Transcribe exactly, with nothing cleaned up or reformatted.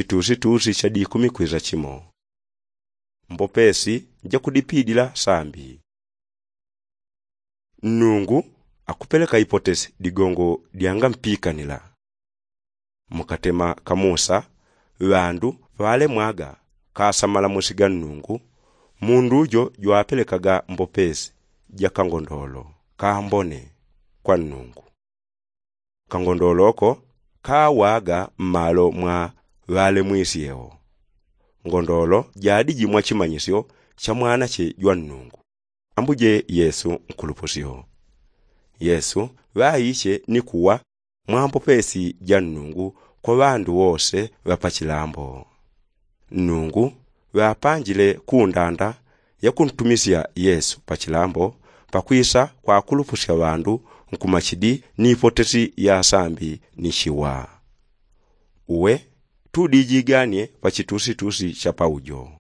chitusitusi cha dikumi kwiza chimo. Mbopesi jakudipidila sambi. Nnungu akupeleka ipotesi digongo dyangampikanila. Mukatema ka musa ŵandu ŵalemwaga kasamala musiga nnungu. Mundu jo jwapelekaga mbopesi ja kangondolo kambone kwa nnungu. Kangondolo ko kawaga mmalo mwa ŵalemwisyewo. Ngondolo jadiji mwa chimanyisyo cha mwanache jwa nnungu. Ambuje yesu nkulupusyo. Yesu ŵaiche ni kuwa mwa mbopesi ja nnungu kwa ŵandu wose ŵa pachilambo. Nnungu ŵapanjile kundanda ya kuntumisya yesu pachilambo pakwisa kwakulupusya ŵandu nkumachidi ni ipotesi ya sambi ni chiwa. Uwe tudijiganie pachitusitusi cha paujo.